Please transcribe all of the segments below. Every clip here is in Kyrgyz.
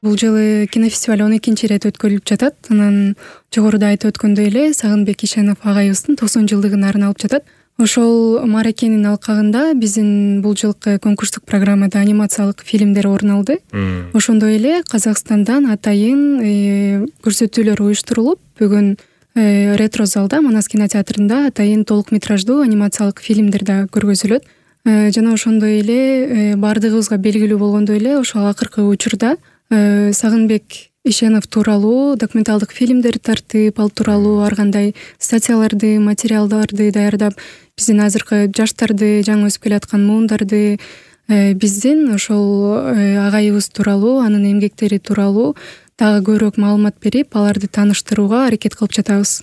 Бул жылы кинофестиваль 12-чи ирет өткөрүлүп жатат. Анан жогоруда айтып өткөндөй эле Сагынбек Ишенов агайыбыздын 90 жылдыгын арналып жатат. Ошол мааракенин алкагында биздин бул жылкы конкурстук программада анимациялык фильмдер орун алды. Ошондой эле Казакстандан атайын көрсөтүүлөр уюштурулуп, бүгүн ретро залда Манас кинотеатрында атайын толук метраждуу анимациялык фильмдер да көргөзүлөт. Жана ошондой эле баардыгыбызга белгилүү болгондой эле ошол акыркы учурда Сагынбек Ишенов тууралуу документалдык фильмдер тартып, ал тууралуу ар кандай статьяларды, материалдарды даярдап, биздин азыркы жаштарды, жаңы өсүп келаткан муундарды биздин ошол агайыбыз тууралуу, анын эмгектери тууралуу дагы көбүрөөк маалымат берип, аларды тааныштырууга аракет кылып жатабыз.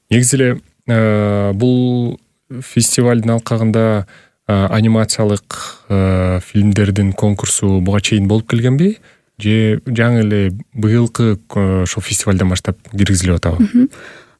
Негизи эле бул фестивалдын алкагында анимациялык фильмдердин конкурсу буга чейин болуп келгенби? Же жаңы эле быйылкы ошол фестивалдан баштап киргизилип атабы?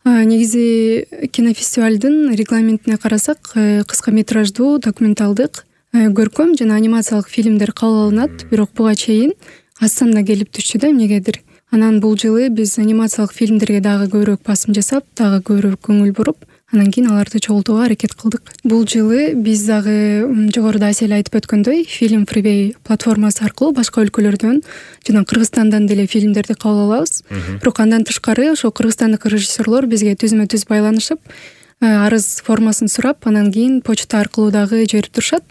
Негизи кинофестивалдын регламентине карасак, кыска метраждуу документалдык, көркөм жана анимациялык фильмдер кабыл алынат, бирок буга чейин аздан да келип түшчү да эмнегедир. Анан бул жылы биз анимациялык фильмдерге дагы көбүрөөк басым жасап, дагы көбүрөөк көңүл буруп, анан кийин аларды чогултууга аракет кылдык. Бул жылы биз дагы жогоруда Асель айтып өткөндөй, Film Freeway платформасы аркылуу башка өлкөлөрдөн жана Кыргызстандан деле фильмдерди кабыл алабыз. Бирок андан тышкары ошо кыргызстандык режиссерлор бизге түзмө-түз байланышып, арыз формасын сурап, анан кийин почта аркылуу дагы жиберип турушат.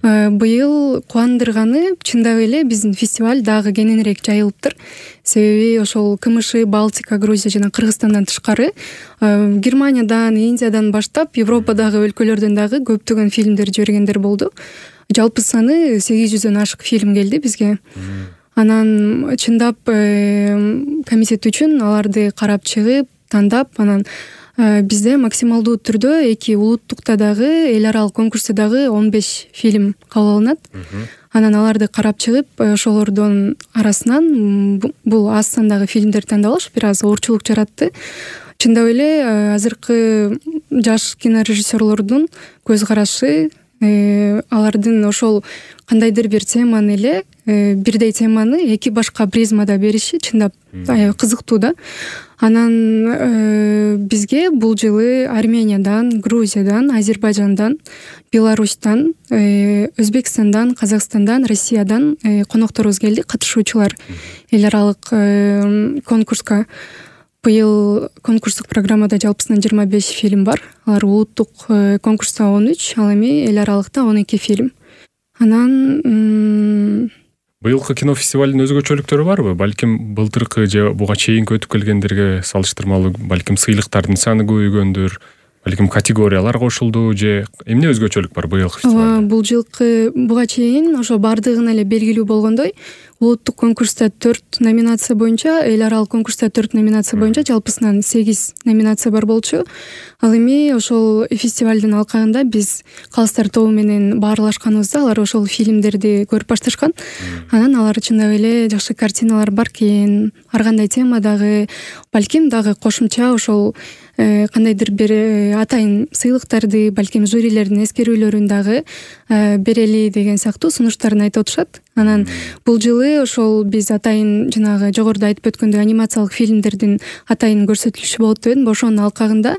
Быйыл кубандырганы чындап эле биздин фестиваль дагы кененирээк жайылыптыр. Себеби ошол КМШ, Балтика, Грузия жана Кыргызстандан тышкары Германиядан, Индиядан баштап Европадагы өлкөлөрдөн дагы көптөгөн фильмдер жибергендер болду. Жалпы саны 800дөн ашык фильм келди бизге. Анан чындап комитет үчүн аларды карап чыгып, тандап, анан бизде максималдуу түрдө эки улуттукта дагы, эл аралык конкурста дагы 15 фильм кабыл алынат. Анан аларды карап чыгып, ошолордун арасынан бул аз сандагы фильмдерди тандап алыш бир аз оорчулук жаратты. Чындап эле азыркы жаш кинорежиссерлордун көз карашы, алардын ошол кандайдыр бир теманы эле, бирдей теманы эки башка призмада бериши чындап кызыктуу да. Анан бизге бул жылы Армениядан, Грузиядан, Азербайжандан, Беларустан, Өзбекстандан, Казакстандан, Россиядан конокторубуз келди, катышуучулар эл аралык конкурска. Быйыл конкурстук программада жалпысынан 25 фильм бар. Алар улуттук конкурста 13, ал эми эл аралыкта 12 фильм. Анан быйылкы кинофестивалдын өзгөчөлүктөрү барбы? Балким былтыркы же буга чейинки өтүп келгендерге салыштырмалуу балким сыйлыктардын саны көбөйгөндүр, балким категориялар кошулду же эмне өзгөчөлүк бар быйылкы фестивалда? Бул жылкы буга чейин ошо бардыгына эле белгилүү болгондой, улуттук конкурста 4 номинация боюнча, эл аралык конкурста 4 номинация боюнча жалпысынан 8 номинация бар болчу. Ал эми ошол фестивалдын алкагында биз Калыстар тобу менен баарлашканыбызда алар ошол фильмдерди көрүп башташкан. Анан алар чындап эле жакшы картиналар бар экен, ар кандай темадагы, балким дагы кошумча ошол кандайдыр бир атайын сыйлыктарды, балким жюрилердин эскерүүлөрүн дагы берели деген сыяктуу сунуштарын айтып отушат. Анан бул жылы ошол биз атайын жанагы жогоруда айтып өткөндөй анимациялык фильмдердин атайын көрсөтүлүшү болот дедим. Ошонун алкагында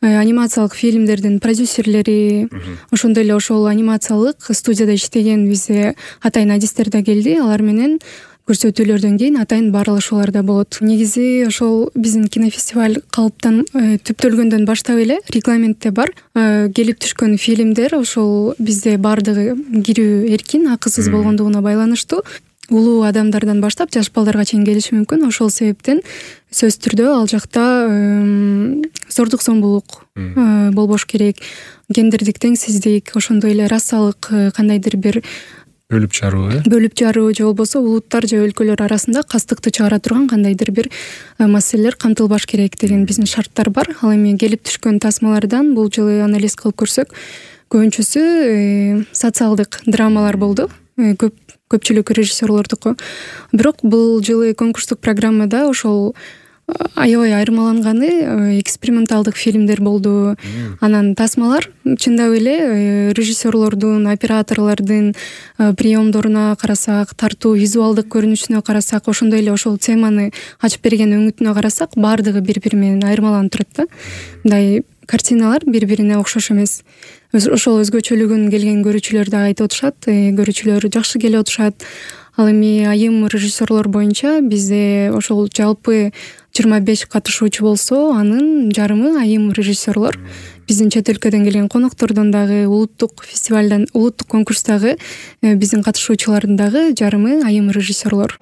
анимациялык фильмдердин продюсерлери, ошондой эле ошол анимациялык студияда иштеген бизде атайын адистер да келди. Алар менен көрсөтүүлөрдөн кийин атайын баарлашуулар да болот. Негизи ошол биздин кинофестиваль калыптан түптөлгөндөн баштап эле регламентте бар. Келип түшкөн фильмдер ошол бизде баардыгы кирүү эркин, акысыз болгондугуна байланыштуу. Улуу адамдардан баштап жаш балдарга чейин келиши мүмкүн. Ошол себептен сөзсүз түрдө ал жакта зордук зомбулук болбош керек, гендердик теңсиздик, ошондой эле расалык кандайдыр бир бөлүп жаруу же болбосо улуттар же өлкөлөр арасында кастыкты чыгара турган кандайдыр бир маселелер камтылбаш керек деген биздин шарттар бар. Ал эми келип түшкөн тасмалардан бул жылы анализ кылып көрсөк, көбүнчөсү социалдык драмалар болду. Көпчүлүк режиссерлордуку. Бирок бул жылы конкурстук программада ошол аябай айырмаланганы эксперименталдык фильмдер болду. Анан тасмалар чындап эле режиссерлордун, операторлордун приемдоруна карасак, тартуу визуалдык көрүнүшүнө карасак, ошондой эле ошол теманы ачып берген өңүтүнө карасак, баардыгы бири бири менен айырмаланып турат да. Мындай картиналар бири бирине окшош эмес. Ошол өзгөчөлүгүн келген көрүүчүлөр да айтып атышат, көрүүчүлөр жакшы келип атышат. Ал эми айым режиссерлор боюнча бизде ошол жалпы 25 катышуучу болсо, анын жарымы айым режиссерлор. Биздин чет өлкөдөн келген коноктордон дагы, улуттук фестивалдан, улуттук конкурстагы биздин катышуучулардын дагы жарымы айым режиссерлор.